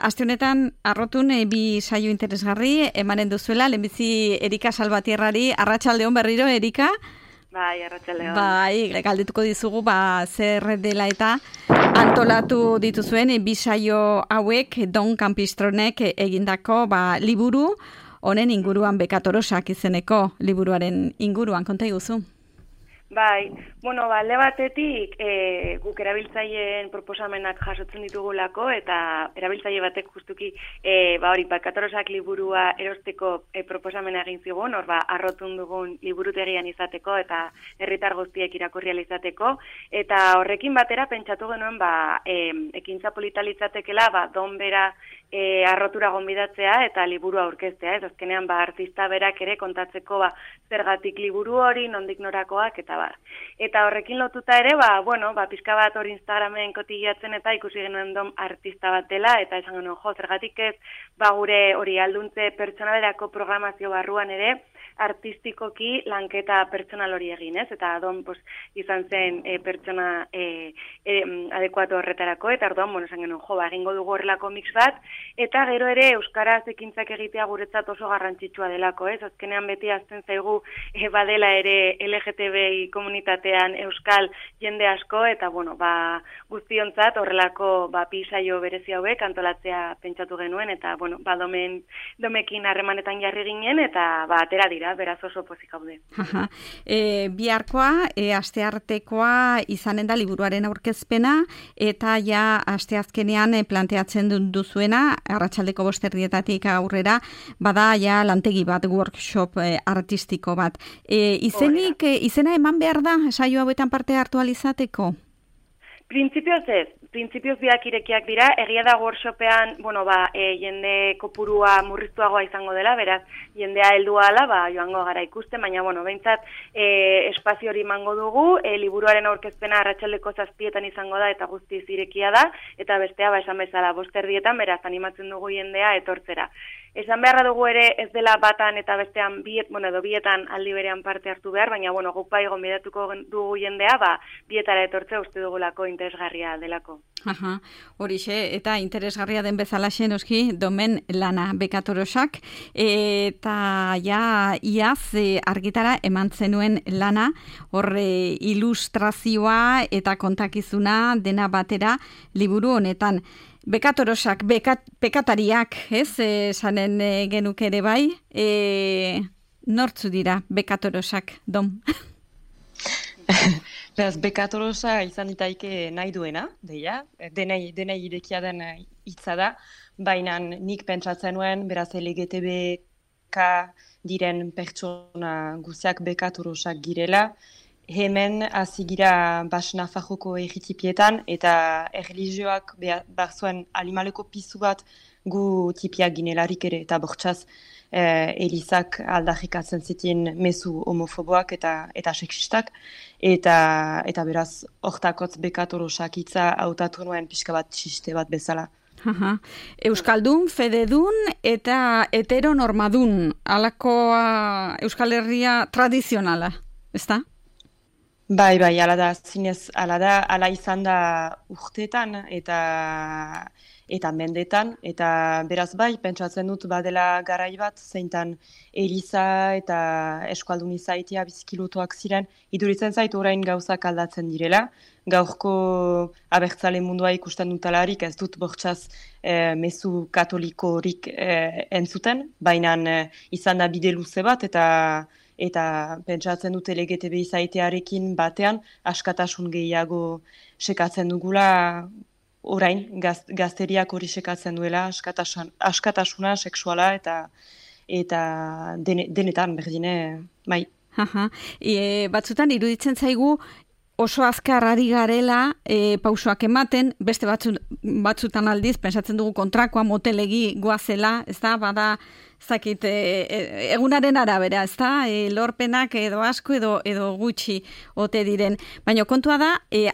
aste honetan arrotun bi saio interesgarri emanen duzuela, lehenbizi Erika Salvatierrari, arratsaldeon berriro, Erika? Bai, arratsaldeon. Bai, galdetuko dizugu, zer dela eta antolatu dituzuen bi saio hauek Don Campistronek egindako liburu, honen inguruan Bekatorosak izeneko liburuaren inguruan, konta iguzu? Bai, alde batetik guk erabiltzaileen proposamenak jasotzen ditugulako eta erabiltzaile batek justuki Bekatorosak liburua erosteko proposamena egin zigun, arrotun dugun liburutegian izateko eta herritar guztiek irakurri ahal izateko, eta horrekin batera pentsatu genuen ekintza polita litzatekeela Don bera arrotura gonbidatzea eta liburua aurkeztea, ez azkenean artista berak ere kontatzeko zergatik liburu hori, nondik norakoak eta Eta horrekin lotuta ere, pizka bat hori Instagramen kotillatzen eta ikusi genuen Don artista bat dela, eta esan genuen, zergatik ez gure hori alduntze pertsonalerako programazio barruan ere, artistikoki lanketa pertsonal hori egin, ez? Eta Don izan zen pertsona adekuatu horretarako, eta orduan, esan genuen, egingo dugu horrelako mix bat, eta gero ere euskaraz ekintzak egitea guretzat oso garrantzitsua delako, ez? Azkenean beti azten zaigu badela ere LGTBI komunitatean euskal jende asko, eta guztiontzat horrelako bi saio berezi hauek antolatzea pentsatu genuen, eta Domekin harremanetan jarri ginen, eta atera dira, beraz oso pozik gaude. Biharkoa, asteartekoa izanen da liburuaren aurkezpena, eta asteazkenean planteatzen duzuena, arratsaldeko 5:00 aurrera, bada lantegi bat, workshop artistiko bat. Izena eman behar da, saio hauetan parte hartu alizateko? Printzipioz ez. Printzipioz biak irekiak dira, egia da workshopean, jende kopurua murriztuagoa izango dela, beraz, jendea heldua ala, joango gara ikusten, baina, behintzat, espazio hori mango dugu, liburuaren aurkezpena arratsaldeko 7:00 izango da, eta guztiz irekia da, eta bestea, esan bezala, 5:00, beraz, animatzen dugu jendea etortzera. Esan beharra dugu ere ez dela batan eta bestean bietan aldi berean parte hartu behar, baina guk gonbidatuko dugu jendea, bietara etortzea uste dugulako interesgarria delako. Horixe, eta interesgarria den bezalaxe noski Domen lana Bekatorosak, eta iaz argitara eman zenuen lana, horre ilustrazioa eta kontakizuna dena batera liburu honetan. Bekatorosak, pekatariak, ez, esanen genuke ere bai, nortzu dira Bekatorosak, Dom? Beraz, Bekatorosa izan ditaike nahi duena, denei irekia den hitza da, baina nik pentsatzen nuen, beraz LGTBK diren pertsona guziak Bekatorosak girela, hemen hasi gira Nafarroko erritipietan eta erlijioak behar zuen animaleko pizu bat gu tipiak ginelarik ere, eta bortxaz Elizak aldarrikatzen zitien mezu homofoboak eta sexistak, eta beraz hortakotz Bekatorosak hitza hautatu nuen pixka bat txiste bat bezala. Euskaldun, fededun eta heteronormadun, alakoa Euskal Herria tradizionala, ezta? Bai, ala da, zinez, ala izan da urteetan eta mendetan, eta beraz pentsatzen dut badela garai bat, zeintan Eliza eta eskualdun izaitea bizikilutuak ziren, iduritzen zait orain gauzak aldatzen direla, gaurko abertzale mundua ikusten dutalarik ez dut bortxaz mezu katolikorik entzuten, baina izan da bide luze bat, eta pentsatzen dut LGTBI zaitearekin batean askatasun gehiago sekatzen dugula orain, gazteriak hori sekatzen duela, askatasuna, sexuala eta denetan berdine, bai. Batzutan iruditzen zaigu oso azkar ari garela pausoak ematen, beste batzutan aldiz, pensatzen dugu kontrakoa motelegi goazela, ez da, bada zakit, egunaren arabera, ez da? Lorpenak edo asko edo gutxi ote diren. Baina kontua da,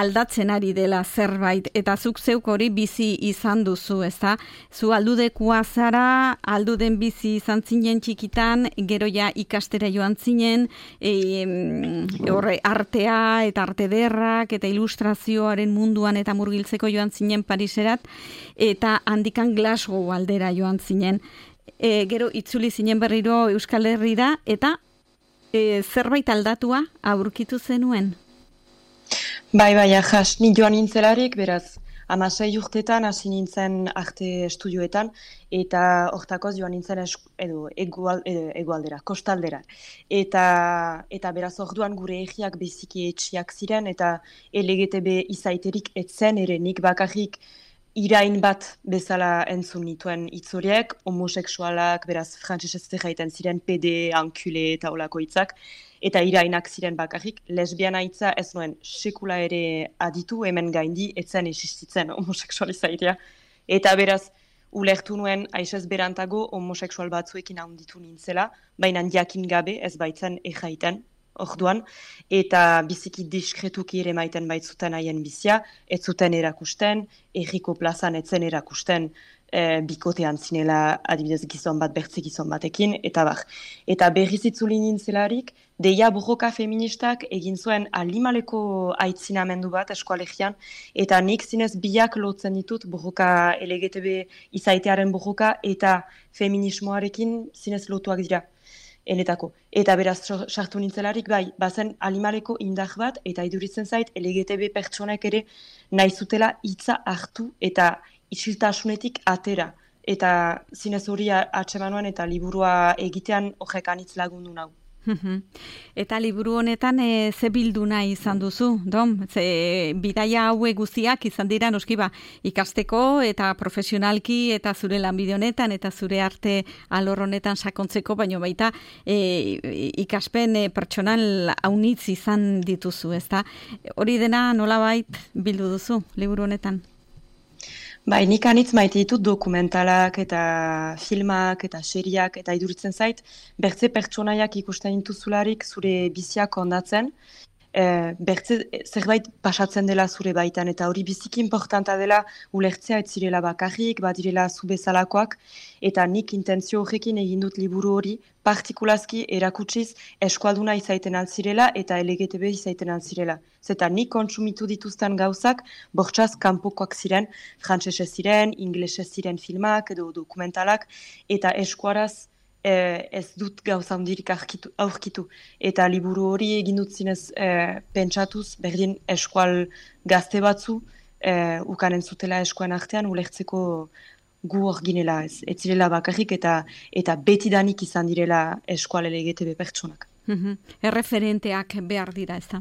aldatzen ari dela zerbait, eta zuk zeuk hori bizi izan duzu, ez da? Zu aldudekua zara, alduden bizi izan zinen txikitan, gero ja ikastera joan zinen, artea eta arte derrak eta ilustrazioaren munduan eta murgiltzeko joan zinen Pariserat, eta handikan Glasgow aldera joan zinen. Gero itzuli zinen berriro Euskal Herrira, eta zerbait aldatua aurkitu zenuen? Bai, ahas, ni joan nintzelarik, beraz, 16 urtetan hasi nintzen arte estudioetan, eta hortakoz joan nintzen egualdera, kostaldera. Eta beraz orduan gure egiak biziki etxiak ziren, eta LGTB izaiterik etzen ere nik bakarrik irain bat bezala entzun nituen itzoriek, homoseksualak, beraz frantsesez jaiten ziren PD, ankule eta olako hitzak, eta irainak ziren bakarrik, lesbiana hitza ez nuen sekula ere aditu, hemen gaindi etzen existitzen homoseksualizaitea. Eta beraz, ulertu nuen aixez berantago homoseksual batzuekin handitu nintzela, baina jakin gabe ez baitzen ejaiten orduan, eta biziki diskretuki ere maiten baitzuten haien bizia, ez zuten erakusten, erriko plazan etzen erakusten, bikotean zinela adibidez gizon bat, bertze gizon batekin, eta bar. Eta berriz itzuli nintzelarik, deia borroka feministak egin zuen alimaleko aitzinamendu bat eskoalegian, eta nik zinez biak lotzen ditut borroka LGTB izaitearen borroka eta feminismoarekin zinez lotuak dira. Enetako. Eta beraz sartu nintzelarik bai, bazen alimaleko indar bat, eta iduritzen zait LGTB pertsonek ere nahi zutela hitza hartu eta isiltasunetik atera. Eta zinez hori atsemanuan eta liburua egitean horrek anitz lagundu nau. Eta liburu honetan ze bilduna izan duzu, Dom? Ze bidaia haue guztiak izan dira noski ikasteko eta profesionalki eta zure lanbide honetan eta zure arte alor honetan sakontzeko, baino baita ikaspen pertsonal haunitz izan dituzu, ezta? Hori dena nolabait bildu duzu liburu honetan? Bai, nik anitz maite ditut dokumentalak eta filmak eta seriak eta iduritzen zait, bertze pertsonaiak ikusten dituzularik zure biziak ondatzen, bertze zerbait pasatzen dela zure baitan, eta hori biziki importanta dela ulertzea ez zirela bakarrik, badirela zu bezalakoak, eta nik intentzio horrekin egin dut liburu hori, partikulazki erakutsiz eskualduna izaiten altzirela eta LGTB izaiten altzirela. Zeta nik kontsumitu dituzten gauzak, bortxaz kanpokoak ziren, frantsesez ziren, inglesez ziren filmak edo dokumentalak, eta eskuaraz ez dut gauza handirik aurkitu. Eta liburu hori egin dut zinez pentsatuz, berdin eskual gazte batzu, ukanen zutela eskuan artean, ulertzeko gu hor ginela ez zirela bakarrik eta betidanik izan direla eskual LGTB pertsonak. Erreferenteak behar dira, ez da?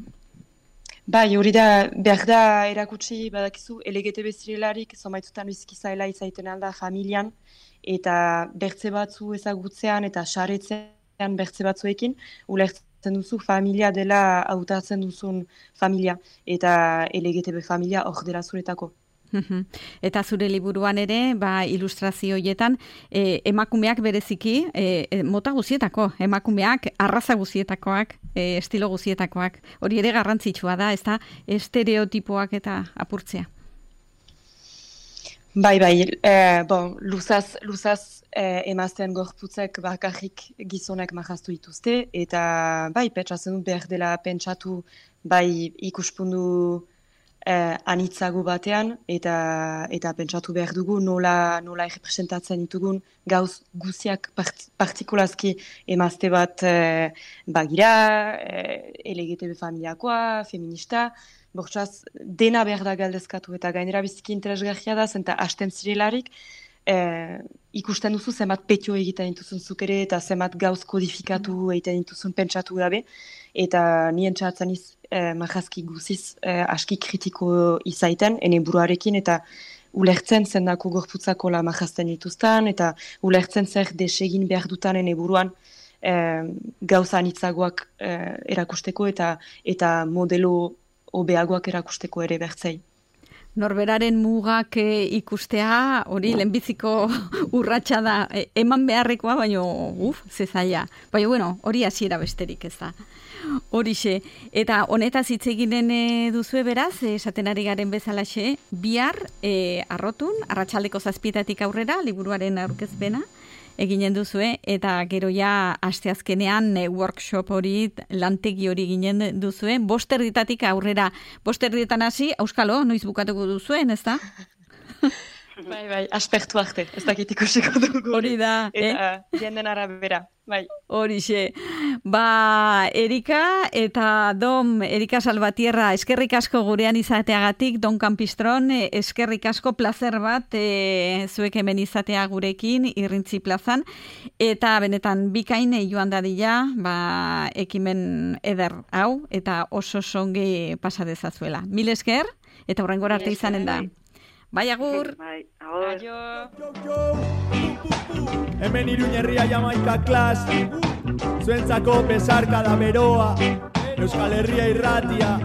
Bai, hori da, behar da erakutsi badakizu LGTB zirelarik, zomaitzutan biziki zaila izaiten alda familian, eta bertze batzu ezagutzean eta saretzean bertze batzuekin, ulertzen duzu familia dela hautatzen duzun familia, eta LGTB familia hor dela zuretako. Eta zure liburuan ere, ilustrazioietan, emakumeak bereziki, mota guzietako, emakumeak, arraza guzietakoak, estilo guzietakoak, hori ere garrantzitsua da, ez da, estereotipoak eta apurtzea. Bai, luzaz emazten gorputzek bakarrik gizonek mahaztu dituzte, eta pentsatzen dut behar dela pentsatu ikuspundu anitzago batean, eta pentsatu behar dugu nola errepresentatzen ditugun gauz guziak partikulazki emazte bat bagira, LGTB familiakoa, feminista, bortxaz dena behar da galdezkatu, eta gainera biziki interesgarria da, zenta hasten zirelarik, ikusten duzu zenbat petio egiten dituzun zuk ere, eta zenbat gauz kodifikatu egiten dituzun pentsatu gabe, eta nien txatzen mahazki guziz aski kritiko izaiten, ene buruarekin, eta ulertzen zendako gorputzako la mahazten dituzten, eta ulertzen zer desegin behar dutan ene buruan gauza anitzagoak erakusteko, eta modelo hobeagoak erakusteko ere bertzei. Norberaren mugak ikustea, hori lehenbiziko urratsa da, eman beharrekoa, baina zezaia. Baina, bueno, hori hasiera besterik ez da. Horixe, eta honetaz hitz eginen duzue beraz, esaten ari garen bezalaxe, bihar arrotun, arratsaldeko 7:00 aurrera, liburuaren aurkezpena, eginen duzue, eta gero ja asteazkenean workshop hori, lantegi hori eginen duzue, 5:00 aurrera, 5:00 hasi, auskalo, noiz bukatuko duzuen, ez da? Bai, aspertu arte, ez dakit ikusiko dugu. Hori da, eta jenden arabera, bai. Horixe. Erika eta Dom, Erika Salvatierra, eskerrik asko gurean izateagatik, Don Campistron, eskerrik asko plazer bat zuek hemen izatea gurekin, Irrintzi plazan, eta benetan bikain joan dadila, ekimen eder hau, eta oso songi pasa dezazuela. Mil esker, eta horrengora arte izanen da. Bai, agur. Bai, agur. Hemen Iruñerria Jamaika klas, zuentzako besarkada beroa, Euskal Herria irratia.